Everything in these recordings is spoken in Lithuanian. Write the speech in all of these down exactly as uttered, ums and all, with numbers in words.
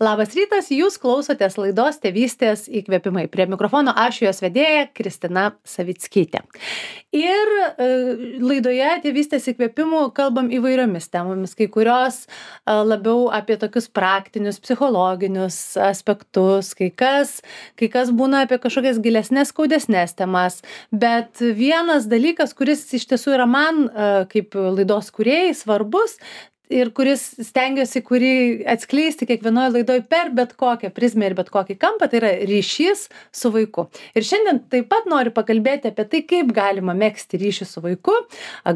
Labas rytas, jūs klausotės laidos Tėvystės įkvėpimai. Prie mikrofono aš jos vedėja Kristina Savickytė. Ir e, laidoje Tėvystės įkvėpimų kalbam įvairiomis temomis, kai kurios e, labiau apie tokius praktinius, psichologinius aspektus, kai kas, kai kas būna apie kažkokias gilesnės, skaudesnės temas. Bet vienas dalykas, kuris iš tiesų yra man e, kaip laidos kūrėjai svarbus, ir kuris stengiuosi kurį atskleisti kiekvienoje laidoje per bet kokią prizmę ir bet kokį kampą, tai yra ryšys su vaiku. Ir šiandien taip pat noriu pakalbėti apie tai, kaip galima megzti ryšį su vaiku,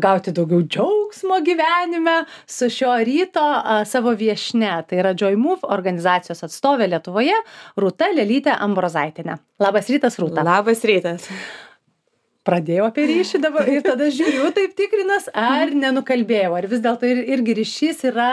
gauti daugiau džiaugsmo gyvenime su šio ryto a, savo viešne. Tai yra Joy Move organizacijos atstovė Lietuvoje, Rūta Lelytė Ambrozaitienė. Labas rytas, Rūta. Labas rytas. Pradėjau apie ryšį dabar ir tada žiūriu, taip tikrinas, ar nenukalbėjau, ar vis dėlto ir, irgi ryšys yra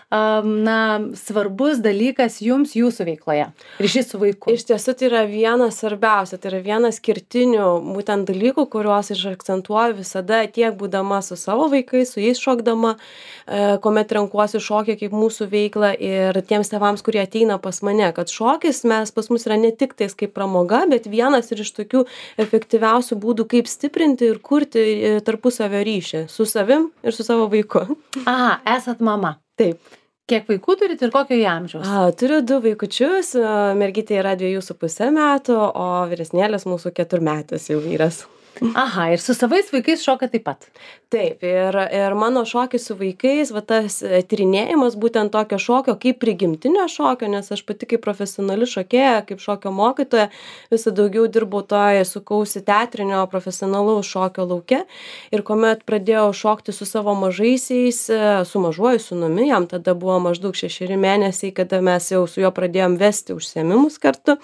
um, na, svarbus dalykas jums jūsų veikloje, ryšys su vaiku. Iš tiesų tai yra vienas svarbiausia, tai yra vienas kertinių būtent dalykų, kuriuos aš akcentuoju visada tiek būdama su savo vaikais, su jais šokdama, e, kuomet renkuosi šokį kaip mūsų veiklą ir tiems tėvams, kurie ateina pas mane, kad šokis mes pas mus yra ne tik tais kaip pramoga, bet vienas ir iš tokių efektyviausių būdų, kaip stiprinti ir kurti tarpusavio ryšį su savim ir su savo vaiku. Aha, esat mama. Taip. Kiek vaikų turit ir kokio jie amžiaus? A, turiu du vaikučius, mergytė yra dviejų su pusė metų, o vyresnėlis mūsų keturmetis jau vyras. Aha, ir su savais vaikais šoka taip pat. Taip, ir, ir mano šokis su vaikais, va tas tyrinėjimas būtent tokio šokio kaip prigimtinio šokio, nes aš pati kaip profesionali šokėja, kaip šokio mokytoja, visą daugiau dirbau toje, sukausi teatrinio profesionalaus šokio lauke. Ir kuomet pradėjau šokti su savo mažaisiais, su mažuoju sūnumi, jam tada buvo maždaug šešeri mėnesiai, kada mes jau su juo pradėjom vesti užsiėmimus kartu.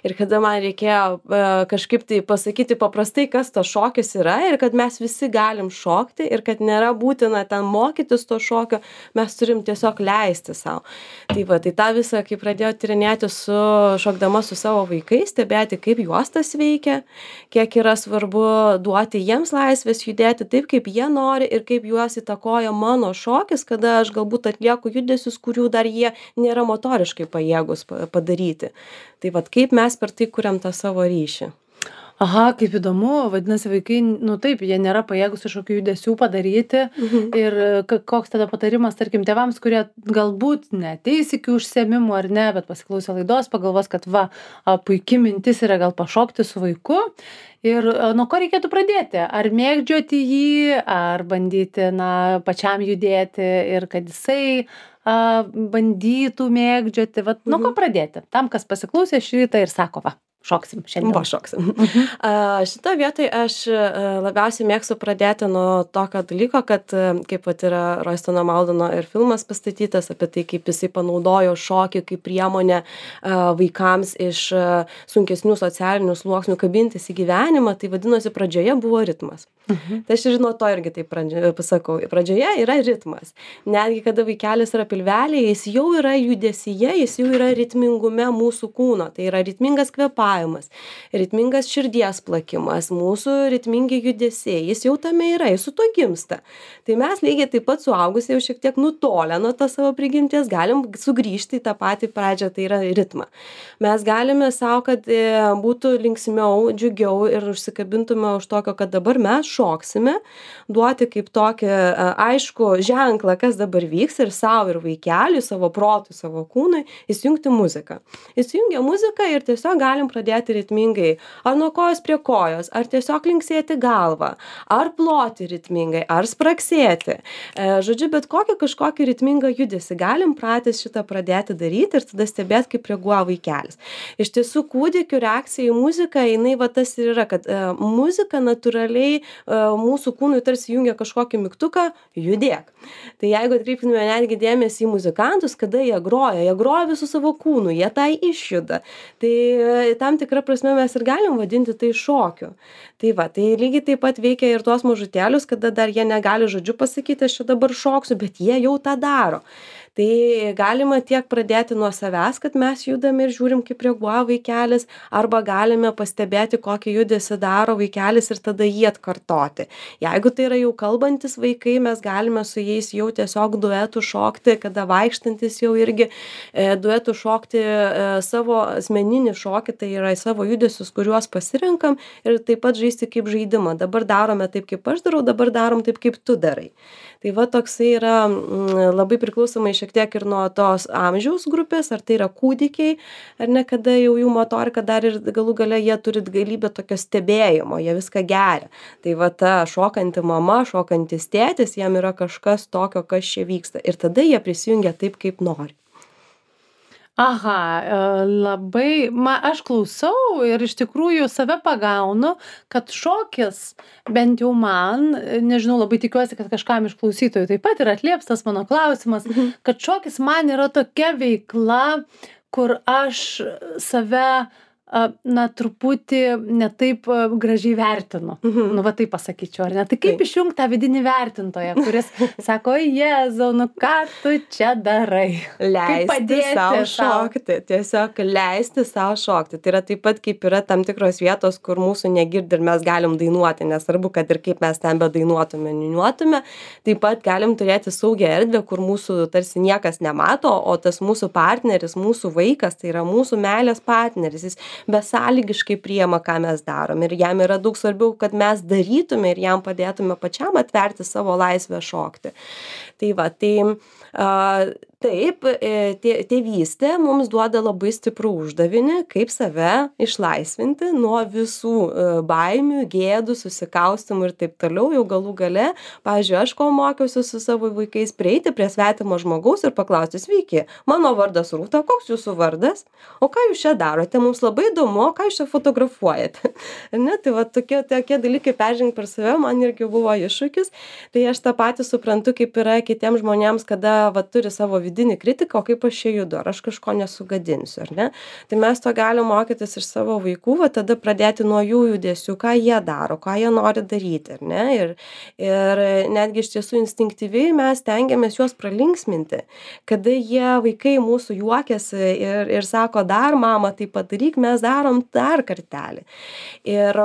Ir kada man reikėjo kažkaip tai pasakyti paprastai, kas tas šokis yra ir kad mes visi galim šokti ir kad nėra būtina ten mokytis to šokio, mes turim tiesiog leisti savo. Tai va, tai tą visą, kai pradėjau tyrinėti su šokdama su savo vaikais, stebėti, kaip juos tas veikia, kiek yra svarbu duoti jiems laisvės judėti taip, kaip jie nori ir kaip juos įtakoja mano šokis, kada aš galbūt atlieku judesius, kurių dar jie nėra motoriškai pajėgus padaryti. Tai va, kaip mes per tai kuriam tą savo ryšį. Aha, kaip įdomu, vadinasi, vaikai, nu taip, jie nėra pajėgus kažkokių judesių padaryti. Mhm. Ir koks tada patarimas, tarkim, tėvams, kurie galbūt neateis iki užsiėmimų ar ne, bet pasiklausę laidos, pagalvos, kad va, puikia mintis yra gal pašokti su vaiku. Ir nuo ko reikėtų pradėti? Ar mėgdžioti jį, ar bandyti, na, pačiam judėti ir kad jisai a, bandytų mėgdžioti? Va, nuo ko pradėti? Tam, kas pasiklausė šį rytą ir sako, va. Šoksim šiandien. Va, šoksim. Uh-huh. Uh, šitą vietoj aš uh, labiausiai mėgstu pradėti nuo tokio dalyko, kad uh, kaip pat yra Roistono Maldono ir filmas pastatytas apie tai, kaip jisai panaudojo šokį kaip priemonę uh, vaikams iš uh, sunkesnių socialinių sluoksnių kabintis į gyvenimą, tai vadinosi pradžioje buvo ritmas. Uh-huh. Tai aš žinau to irgi taip pradžioje, pasakau. Pradžioje yra ritmas. Netgi kada vaikelis yra pilvelėje, jis jau yra judesyje, jis jau yra ritmingume mūsų kūno. Tai yra ritmingas kvėpavimas, ritmingas širdies plakimas, mūsų ritmingi judesiai. Jis jau tame yra, jis su to gimsta. Tai mes lygiai taip pat suaugusiai jau šiek tiek nutolę nuo to savo prigimties galim sugrįžti į tą patį pradžią, tai yra ritmą. Mes galime savo, kad būtų linksmiau, džiugiau ir užsikabintume už tokio, kad dabar mes šoksime, duoti kaip tokį aišku ženklą, kas dabar vyks ir savo ir vaikeliui, savo protui, savo kūnui, įsijungti muziką. Įsijungia muziką ir tiesiog galim pradėti ritmingai, ar nuo kojos prie kojos, ar tiesiog linksėti galvą, ar ploti ritmingai, ar spraksėti. E, žodžiu, bet kokį kažkokį ritmingą judesį galim pratęs šitą pradėti daryti ir tada stebėti, kaip reaguoja vaikelis. Iš tiesų, kūdikių reakcija į muziką, jinai va tas ir yra, kad e, muzika natūraliai mūsų kūnui tarsi jungia kažkokį mygtuką, judėk. Tai jeigu atkreiptume netgi dėmesį į muzikantus, kada jie groja, jie groja visų savo kūnų, jie tai išjuda. Tai tam tikrą prasme mes ir galim vadinti tai šokiu. Tai va, tai lygiai taip pat veikia ir tuos mažutėlius, kada dar jie negali žodžiu pasakyti, aš čia dabar šoksiu, bet jie jau tą daro. Tai galima tiek pradėti nuo savęs, kad mes judame ir žiūrim, kaip reaguoja vaikelis, arba galime pastebėti, kokį judesį daro vaikelis ir tada jį atkartoti. Jeigu tai yra jau kalbantis vaikai, mes galime su jais jau tiesiog duetų šokti, kada vaikštantis jau irgi e, duetų šokti e, savo asmeninį šokį, tai yra savo judesius, kuriuos pasirenkam ir taip pat žaisti kaip žaidimą. Dabar darome taip, kaip aš darau, dabar darom taip, kaip tu darai. Tai va toksai yra m, labai priklausomai šiek tiek ir nuo tos amžiaus grupės, ar tai yra kūdikiai, ar ne, kada jau jų motorika dar ir galų gale jie turi galybę tokio stebėjimo, jie viską geria. Tai va ta šokanti mama, šokantis tėtis, jam yra kažkas tokio, kas čia vyksta. Ir tada jie prisijungia taip, kaip nori. Aha, e, labai, ma, aš klausau ir iš tikrųjų save pagaunu, kad šokis, bent jau man, nežinau, labai tikiuosi, kad kažkam iš klausytojų taip pat yra atlieps tas mano klausimas, kad šokis man yra tokia veikla, kur aš save a, na, truputį ne taip a, gražiai vertinu. Mhm. Nu, va taip pasakyčiau, ar ne? Tai kaip Taip. išjungti tą vidinį vertintoją, kuris sako, Jėzau, nu ką tu čia darai? Kaip Leisti padėti savo sau? šokti, tiesiog leisti savo šokti. Tai yra taip pat, kaip yra tam tikros vietos, kur mūsų negirdi ir mes galim dainuoti, nesvarbu, kad ir kaip mes ten bedainuotume, niuniuotume, taip pat galim turėti saugią erdvę, kur mūsų tarsi niekas nemato, o tas mūsų partneris, mūsų vaikas, tai yra mūsų meilės partneris, jis besąlygiškai priima, ką mes darom ir jam yra daug svarbiau, kad mes darytume ir jam padėtume pačiam atverti savo laisvę šokti. Tai va, tai a, taip, e, tė- tėvystė mums duoda labai stiprų uždavinį, kaip save išlaisvinti nuo visų e, baimių, gėdų, susikaustimų ir taip toliau, jau galų gale. Pavyzdžiui, aš kol mokiausi su savo vaikais, prieiti prie svetimo žmogaus ir paklausti, sveiki, mano vardas Rūta, koks jūsų vardas? O ką jūs čia darote? Mums labai įdomu, o ką jūs čia fotografuojate? Ne, tai va tokie, tokie dalykai peržengti per save man irgi buvo iššūkis. Tai aš tą patį suprantu, kaip yra kitiems žmonėms, kada va, turi savo vidinį kritiką, o kaip aš čia judu, ar aš kažko nesugadinsiu, ar ne? Tai mes to galim mokytis iš savo vaikų, va tada pradėti nuo jų judesių, ką jie daro, ką jie nori daryti, ar ne? Ir, ir netgi iš tiesų instinktyviai mes tengiamės juos pralinksminti, kada jie vaikai mūsų juokiasi ir, ir sako, dar mama, tai padaryk, mes darom dar kartelį. Ir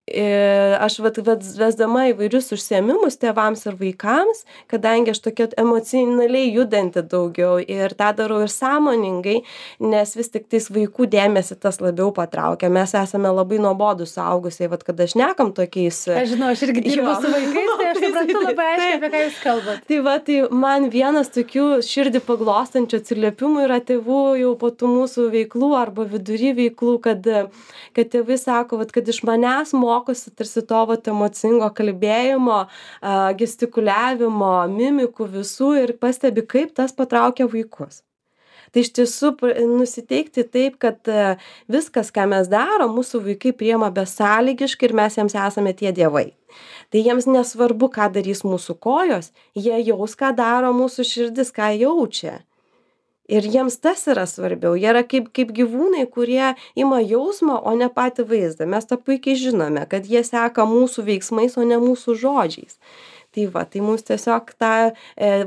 Ir aš vat, vat, vesdama įvairius užsiėmimus tėvams ir vaikams, kadangi aš tokia emocionaliai judanti daugiau ir tą darau ir sąmoningai, nes vis tik tais vaikų dėmesį tas labiau patraukia. Mes esame labai nuobodūs suaugusiai, vat kada šnekam tokiais. Aš žinau, aš irgi dirbu Jo. su vaikais, tai aš suprantu labai aiškiai, Taip. apie ką jūs kalbate. Tai va, tai man vienas tokių širdį paglostančių atsiliepimų yra tėvų jau po tų mūsų veiklų arba vidury veiklų, kad, kad tėvai sako, vat, kad iš manęs mokosi tarsi to vat, emocingo kalbėjimo, a, gestikuliavimo, mimikų visų ir pastebi, kaip tas patraukia vaikus. Tai iš tiesų pr- nusiteikti taip, kad e, viskas, ką mes darom, mūsų vaikai priema besąlygiškai ir mes jiems esame tie dievai. Tai jiems nesvarbu, ką darys mūsų kojos, jie jaus, ką daro mūsų širdis, ką jaučia. Ir jiems tas yra svarbiau. Jie yra kaip, kaip gyvūnai, kurie ima jausmą, o ne patį vaizdą. Mes tą puikiai žinome, kad jie seka mūsų veiksmais, o ne mūsų žodžiais. Tai va, tai mums tiesiog tą e,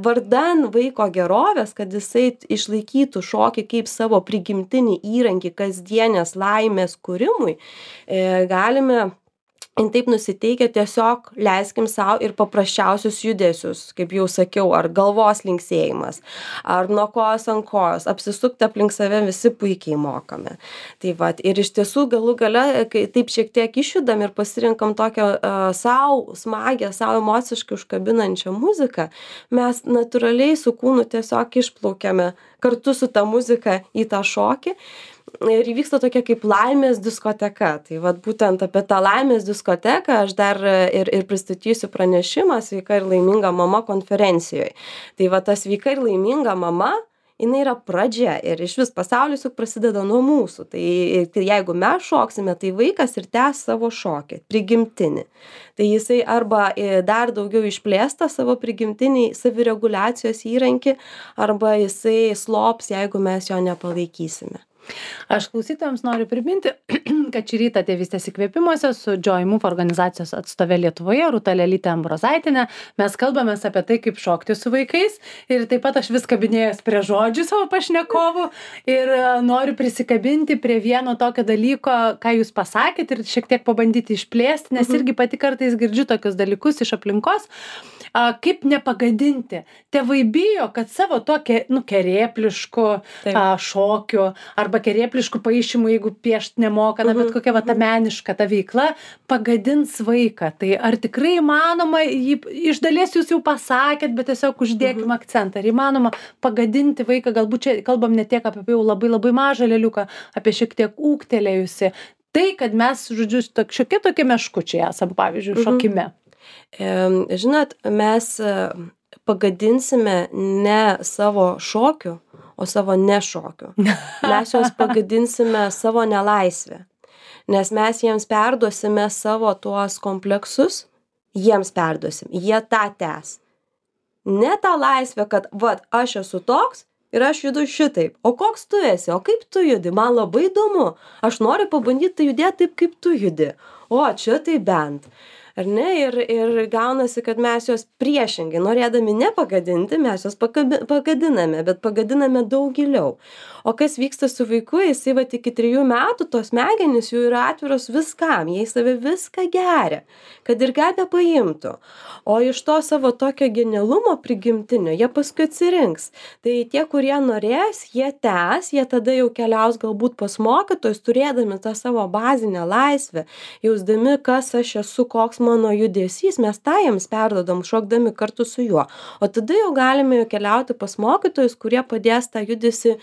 vardan vaiko gerovės, kad jisai išlaikytų šokį kaip savo prigimtinį įrankį kasdienės laimės kūrimui, e, galime taip nusiteikę tiesiog leiskim sau ir paprasčiausius judesius, kaip jau sakiau, ar galvos linksėjimas, ar nuo kojos ant kojos, apsisukti aplink save visi puikiai mokame. Tai va, ir iš tiesų galų gale, kai taip šiek tiek išjudam ir pasirinkam tokią uh, savo smagę, savo emociškai užkabinančią muziką, mes natūraliai su kūnu tiesiog išplaukiame kartu su ta muzika į tą šokį. Ir įvyksta tokia kaip laimės diskoteka. Tai vat būtent apie tą laimės diskoteką aš dar ir, ir pristatysiu pranešimą Sveika ir laiminga mama konferencijoje. Tai va ta sveika ir laiminga mama, jinai yra pradžia ir iš vis pasaulis juk prasideda nuo mūsų. Tai, tai jeigu mes šoksime, tai vaikas ir tęs savo šokį, prigimtinį. Tai jisai arba dar daugiau išplėsta savo prigimtinį savireguliacijos įrankį, arba jisai slops, jeigu mes jo nepalaikysime. Aš klausytojams noriu priminti, kad šį rytą tėvystės įkvėpimuose su Joy Move organizacijos atstove Lietuvoje, Rūta Lelytė Ambrozaitienė. Mes kalbamės apie tai, kaip šokti su vaikais. Ir taip pat aš vis kabinėjęs prie žodžių savo pašnekovų ir noriu prisikabinti prie vieno tokio dalyko, ką jūs pasakėt ir šiek tiek pabandyti išplėsti, nes irgi pati kartais girdžiu tokius dalykus iš aplinkos. A, kaip nepagadinti. Tėvai bijo, kad savo tokia, nu, kerėpliškų a, šokių arba kerėpliškų paišymų, jeigu piešt nemoka, na, bet kokia va ta meniška ta veikla, pagadins vaiką. Tai ar tikrai įmanoma, jį, iš dalies jūs jau pasakėt, bet tiesiog uždėkim akcentą. Ar įmanoma pagadinti vaiką, galbūt čia kalbam ne tiek apie jau labai labai mažą lėliuką, apie šiek tiek ūgtelėjusi. Tai, kad mes, žodžiu, šiokie tokie meškučiai esam, pavyzdžiui, šokime. Žinot, mes pagadinsime ne savo šokių, o savo nešokių. Mes juos pagadinsime savo nelaisvę, nes mes jiems perduosime savo tuos kompleksus, jiems perduosim, jie tą tęs. Ne tą laisvę, kad, vat, aš esu toks ir aš judu šitaip. O koks tu esi, o kaip tu judi, man labai įdomu. Aš noriu pabandyti judėti taip, kaip tu judi. O, čia tai bent. Ar ne? Ir, ir gaunasi, kad mes juos priešingai, norėdami nepagadinti, mes juos pagadiname, bet pagadiname daug giliau. O kas vyksta su vaiku, jisai va iki trijų metų, tos smegenys jų yra atviros viskam, jie į save viską geria, kad ir ką be paimtų. O iš to savo tokio genialumo prigimtinio, jie paskui atsirinks. Tai tie, kurie norės, jie tęs, jie tada jau keliaus galbūt pas mokytojus, turėdami tą savo bazinę laisvę, jausdami, kas aš esu, koks mano judesys, mes tą jiems perdodam, šokdami kartu su juo. O tada jau galime keliauti pas mokytojus, kurie padės tą judesį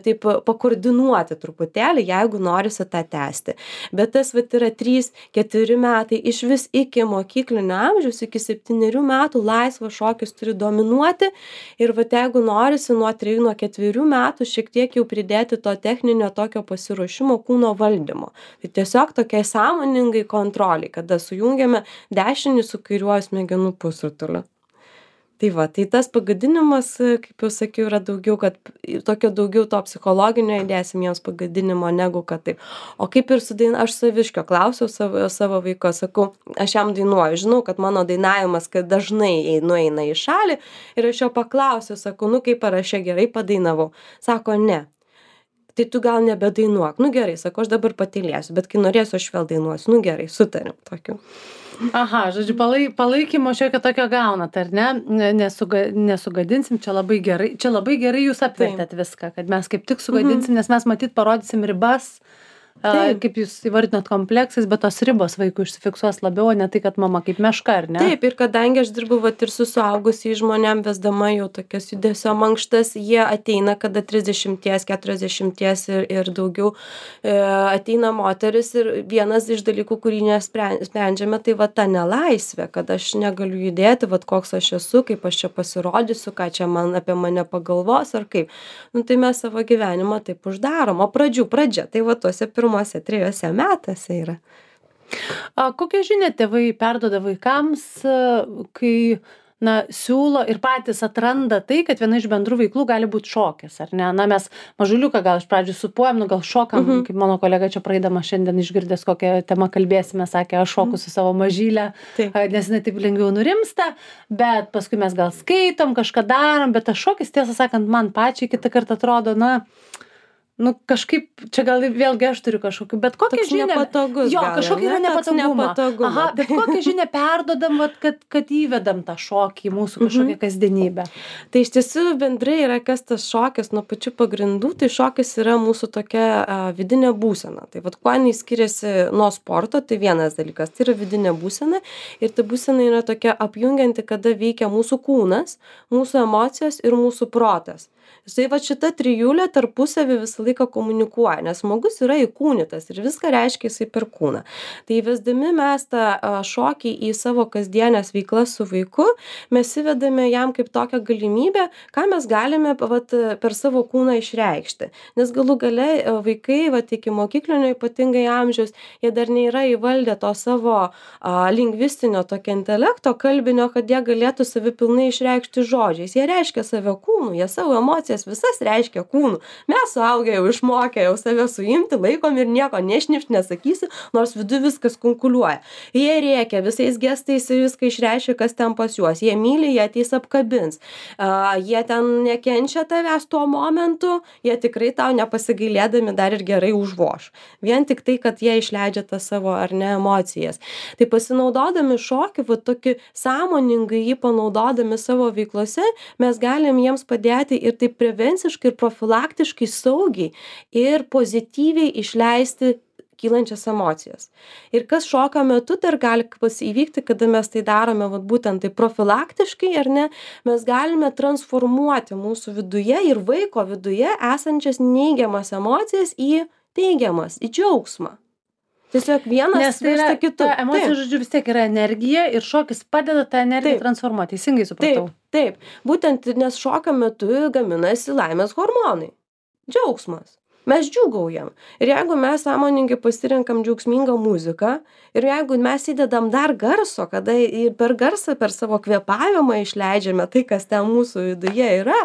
taip pakoordinuoti truputėlį, jeigu norisi tą tęsti. Bet tas vat yra trys keturi metai, iš vis iki mokyklinio amžiaus, iki septynerių metų laisvas šokis turi dominuoti ir vat jeigu norisi nuo trijų, nuo ketverių metų šiek tiek jau pridėti to techninio tokio pasiruošimo kūno valdymo. Tai tiesiog tokiai sąmoningai kontroliai, kada sujungiame dešinį su kairiuoju smegenų pusrutuliu. Tai va, tai tas pagadinimas, kaip jau sakiau, yra daugiau, kad tokio daugiau to psichologinio įdėsim jiems pagadinimo negu kad taip. O kaip ir su daina, aš saviškio klausiau savo, savo vaiko, sakau, aš jam dainuoju, žinau, kad mano dainavimas, kad dažnai nueina į šalį ir aš jo paklausiau, sakau, nu kaip ar aš čia gerai padainavau. Sako, ne. Tai tu gal nebedainuok. Nu gerai, sako, aš dabar patylėsiu, bet kai norėsiu, aš vėl dainuosiu. Nu gerai, sutarim tokiu. Aha, žodžiu, palai, palaikymo šiokio tokio gaunat, ar ne? Nesuga, nesugadinsim, čia labai gerai, čia labai gerai jūs apvertėt viską, kad mes kaip tik sugadinsim, nes mes matyt parodysim ribas, a, kaip jūs įvardinot kompleksais, bet tos ribos vaikų išsifiksuos labiau, o ne tai, kad mama kaip meška, ar ne? Taip, ir kadangi aš dirbu vat ir su suaugusiais žmonėm, vesdama jau tokias judesio mankštas, jie ateina, kada trisdešimties, keturiasdešimties ir, ir daugiau e, ateina moteris ir vienas iš dalykų, kurį nesprendžiame, tai va ta nelaisvė, kad aš negaliu judėti, vat koks aš esu, kaip aš čia pasirodysiu, ką čia man apie mane pagalvos ar kaip. Nu, tai mes savo gyvenimą taip uždarom, o pradžių pradžia, tai va tuose pirmuose trijose metuose yra. A, kokią žinią tėvai perduoda vaikams, kai na, siūlo ir patys atranda tai, kad viena iš bendrų veiklų gali būti šokis, ar ne? Na, mes mažuliuką gal iš pradžių supuojam, nu gal šokam, mhm. kaip mano kolega čia praeidama šiandien išgirdęs, kokią temą kalbėsime, sakė, aš šoku su savo mažylę, taip. Nes jinai taip lengviau nurimsta, bet paskui mes gal skaitom, kažką darom, bet tas šokis, tiesą sakant, man pačiai kitą kartą atrodo, na, nu kažkaip, čia gal vėlgi aš turiu kažkokiu, bet kokią toks žinią... Nepatogus, jo, gal, kažkokia yra nepatogumą. Aha, bet kokią žinią perdodam, vat, kad, kad įvedam tą šokį į mūsų kažkokią mhm. kasdienybę. Tai iš tiesų bendrai yra kas tas šokis nuo pačių pagrindų, tai šokis yra mūsų tokia a, vidinė būsena. Tai vat kuo jinai skiriasi nuo sporto, tai vienas dalykas, tai yra vidinė būsena ir ta būsena yra tokia apjungianti, kada veikia mūsų kūnas, mūsų emocijos ir mūsų protas. Tai va šita trijulė tarpusavį visą laiką komunikuoja, nes žmogus yra įkūnytas ir viską reiškia jisai per kūną. Tai įvesdami mes tą šokį į savo kasdienės veiklas su vaiku, mes įvedame jam kaip tokią galimybę, ką mes galime vat, per savo kūną išreikšti. Nes galų gale vaikai, vat, iki mokyklinio ypatingai amžiaus, jie dar nėra įvaldę to savo a, lingvistinio tokio intelekto kalbinio, kad jie galėtų savi pilnai išreikšti žodžiais. Jie reiškia save kūnu, jie savo emociją emocijas visas reiškia kūnu. Mes suaugę jau išmokę jau save suimti, laikom ir nieko nešnipt nesakysi, nors vidu viskas kunkuliuoja. Jie rėkia, visais gestais viską išreiškia, kas ten pas juos. Jie myli, jie ateis apkabins. Uh, jie ten nekenčia tavęs tuo momentu, jie tikrai tau nepasigailėdami dar ir gerai užvoš. Vien tik tai, kad jie išleidžia tą savo ar ne emocijas. Tai pasinaudodami šokį, va tokį sąmoningai jį panaudodami savo veiklose, mes galim jiems padėti ir taip prevenciškai ir profilaktiškai saugiai ir pozityviai išleisti kylančias emocijas. Ir kas šokio metu dar gali įvykti, kada mes tai darome vat, būtent tai profilaktiškai, ar ne, mes galime transformuoti mūsų viduje ir vaiko viduje esančias neigiamas emocijas į teigiamas, į džiaugsmą. Tiesiog vienas Nes tai yra, kitu. ta emocija, žodžiu, vis tiek yra energija ir šokis padeda tą energiją Taip. transformuoti. Teisingai supratau. Taip, taip. Būtent nes šokio metu gaminasi laimės hormonai. Džiaugsmas. Mes džiūgaujam. Ir jeigu mes sąmoningai pasirenkam džiaugsmingą muziką ir jeigu mes įdedam dar garso, kada ir per garsą, per savo kvėpavimą išleidžiame tai, kas ten mūsų viduje yra,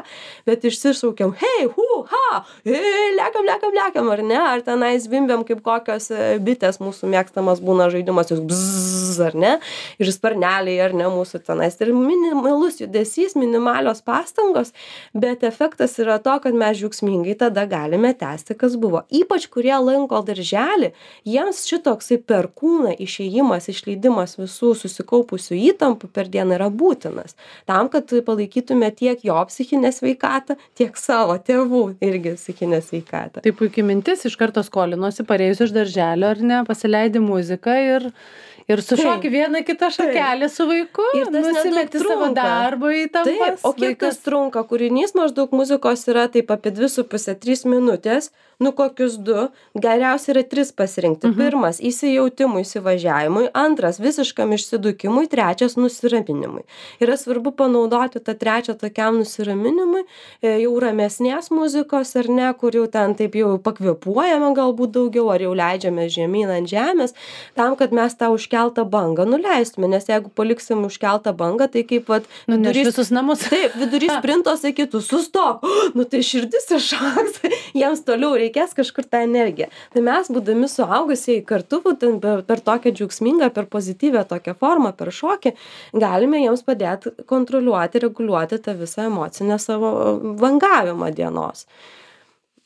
bet išsišaukiam, hei, hu, ha, hei, lekam, lekam, lekam, ar ne, ar tenais zvimbiam kaip kokios bitės mūsų mėgstamas būna žaidimas, jūs bzzz, ar ne, ir sparneliai, ar ne, mūsų tenais. Ir minimalus judesys, minimalios pastangos, bet efektas yra to, kad mes džiaugsmingai tada galime tęsti kas buvo. Ypač kurie lanko darželį, jiems šitoksai per kūną išėjimas, išleidimas visų susikaupusių įtampų per dieną yra būtinas. Tam, kad palaikytume tiek jo psichinę sveikatą, tiek savo tėvų irgi psichinę sveikatą. Tai puikiai mintis, iš karto skolinosi, parėjus iš darželio, ar ne, pasileidi muziką ir Ir sušoki vieną kitą šakelę su vaiku, ir nusimeti savo darbo įtampas. Taip, o kiek tas trunka? Kūrinys maždaug muzikos yra taip apie dvi su pusė trys minutės, nu kokius du, geriausia yra tris pasirinkti. Mhm. Pirmas - įsijautimui, įsivažiavimui, antras - visiškam išsidukimui, trečias - nusiraminimui. Yra svarbu panaudoti tą trečią tokiam nusiraminimui, jau ramesnės muzikos ar ne, kur jau ten taip jau pakvėpuojame galbūt daugiau, ar jau leidžiame žemyn ant žemės, tam, kad mes tą užkeltą bangą nuleistume, nes jeigu paliksim užkeltą bangą, tai kaip vat, vidurys visus namus. Taip, vidurys sprinto sakytų, sustok, nu tai širdis iššoks, jiems toliau reikės kažkur tą energiją. Tai mes, būdami suaugusieji kartu, būtent per, per tokią džiaugsmingą, per pozityvę tokią formą, per šokį, galime jiems padėti kontroliuoti, reguliuoti tą visą emocinę savo vangavimą dienos.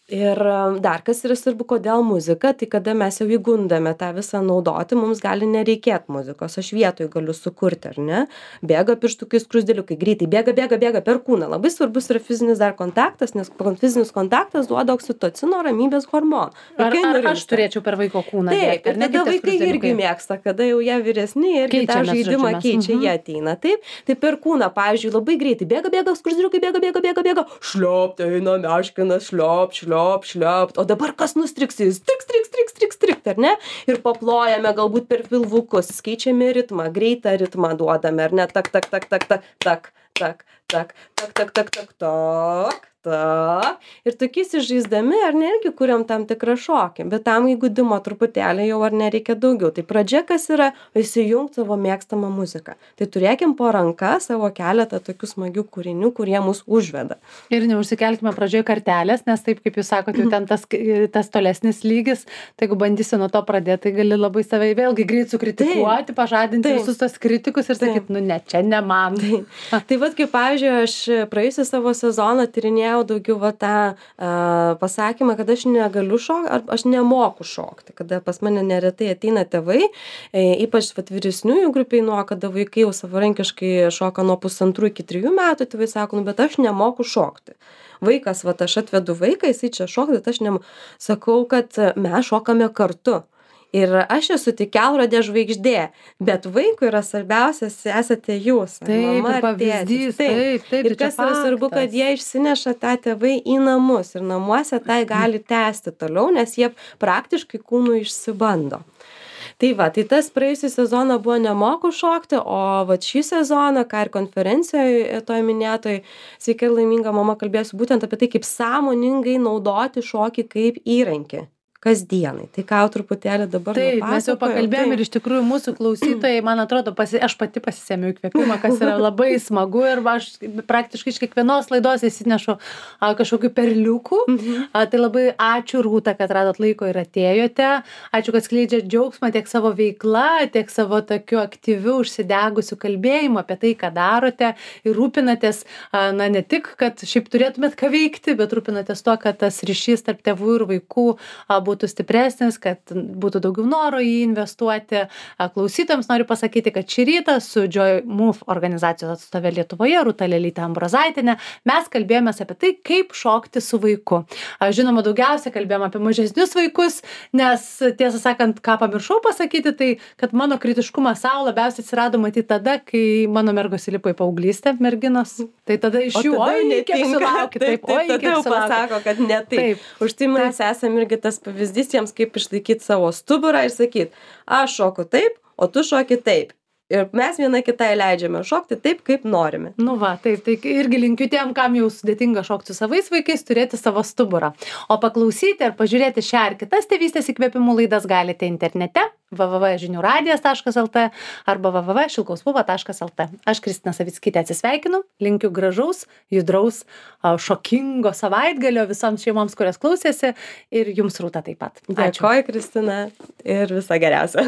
Ir dar kas yra svarbu, kodėl muzika, tai kada mes jau įgundame tą visą naudoti, mums gali nereikėti muzikos, aš vietoj galiu sukurti, ar ne? Bėga pirštukai, skruzdėliukai, greitai, bėga, bėga, bėga per kūną. Labai svarbus yra fizinis dar kontaktas, nes fizinis kontaktas duoda oksitocino, ramybės hormoną. Ar, ar aš turėčiau per vaiko kūną? Taip, bėgti, ir tada vaikai irgi mėgsta, kada jau jie vyresni ir tą žaidimą keičia, mhm. jie ateina. Taip, tai per kūną, pavyzdžiui, labai greitai, bėga, bėga, skruzdėliukai, bėga, bėga, bėga, bėga, šliop, eina meškinas, šliop, šliop, šliop. O dabar kas nustriks, jis triks, triks, triks, triks, triks, ar ne? Ir paplojame galbūt per pilvukus, skaičiame ritmą, greitą ritmą duodame, ar ne? Tak, tak, tak, tak, tak, tak, tak, tak, tak, tak, tak, tak, tak, tak. Ir tokiais išžaisdami, ar ne, irgi kuriam tam tikrą šokį. Bet tam įgudimo truputėlį jau ar nereikia daugiau. Tai pradžia kas yra įsijungti savo mėgstamą muziką. Tai turėkim po ranka savo keletą tokių smagių kūrinių, kurie mus užveda. Ir neužsikelkime pradžioje kartelės, nes taip, kaip jūs sakote, jau ten tas, tas tolesnis lygis, tai jeigu bandysi nuo to pradėti, tai gali labai save vėlgi greit sukritikuoti, taip, pažadinti taip. Visus tos kritikus ir sakyti, nu ne, čia ne man. Taip. Tai vat kaip, pavyzdžiui, aš praėjusią savo sezoną tyrinėjau daugiau va tą uh, pasakymą, kad aš negaliu šokti, ar aš nemoku šokti, kada pas mane neretai ateina tėvai, e, ypač vat vyresniųjų grupiai, nuo kada vaikai jau savarankiškai šoka nuo pusantrų iki trijų metų, tėvai sako, nu, bet aš nemoku šokti. Vaikas, va, aš atvedu vaiką, jisai čia šokti, bet aš nemoku. Sakau, kad mes šokame kartu. Ir aš esu tik kelrodė žvaigždė, bet vaikui yra svarbiausias esate jūs, taip, mama ar pavyzdys, tėtis. Taip, taip, taip, ir kas yra svarbu, kad jie išsineša tą tėvai į namus ir namuose tai gali tęsti toliau, nes jie praktiškai kūnų išsibando. Tai va, tai tas praėjusią sezoną buvo nemoku šokti, o va šį sezoną, ką ir konferencijoje toj minėtoj, sveika ir laiminga mama kalbėsiu būtent apie tai, kaip sąmoningai naudoti šokį kaip įrankį. kasdienai. Tai ką jau truputėlį dabar Taip, mes jau pakalbėjom ir iš tikrųjų mūsų klausytojai, man atrodo, pasi, aš pati pasisėmiau įkvėpimą, kas yra labai smagu ir aš praktiškai iš kiekvienos laidos įsinešu a, kažkokių perliukų. Mhm. A, tai labai ačiū Rūta, kad radot laiko ir atėjote. Ačiū, kad skleidžiat džiaugsmą tiek savo veikla, tiek savo tokiu aktyviu, užsidegusiu kalbėjimu apie tai, ką darote ir rūpinatės, a, na ne tik, kad šiaip turėtumėt ką veikti, bet rūpinatės tuo, kad tas ryšys tarp tėvų ir vaikų a, būtų stipresnis, kad būtų daugiau noro į jį investuoti. Klausytojams noriu pasakyti, kad šį rytą su Joy Move organizacijos atstovė Lietuvoje, Rūta Lelytė Ambrozaitienė, mes kalbėjomės apie tai, kaip šokti su vaiku. Žinoma, daugiausia kalbėjom apie mažesnius vaikus, nes tiesą sakant, ką pamiršau pasakyti, tai kad mano kritiškumas savo labiausiai atsirado matyti tada, kai mano mergos įlipo į paauglystę, merginos. Tai tada iš jų, oi, kiek sulaukit, taip, oi, kiek sulaukit. Pasako, kad ne taip. taip. Už tai mes esame irgi tas pavyzdys jiems, kaip išlaikyti savo stuburą ir sakyti, aš šoku taip, o tu šoki taip. Ir mes viena kitai leidžiame šokti taip, kaip norime. Nu va, taip, tai irgi linkiu tiem, kam jau sudėtinga šokti su savais vaikais, turėti savo stuburą. O paklausyti ar pažiūrėti šią ar kitas tėvystės įkvėpimų laidas galite internete w w w taškas žinių radijas taškas l t arba w w w taškas šilkauspuva taškas l t. Aš Kristina Savickytė atsisveikinu, linkiu gražaus, judraus, šokingo savaitgalio visoms šeimoms, kurios klausėsi ir jums Rūta taip pat. Dėkoju, Kristina, ir viso geriausio.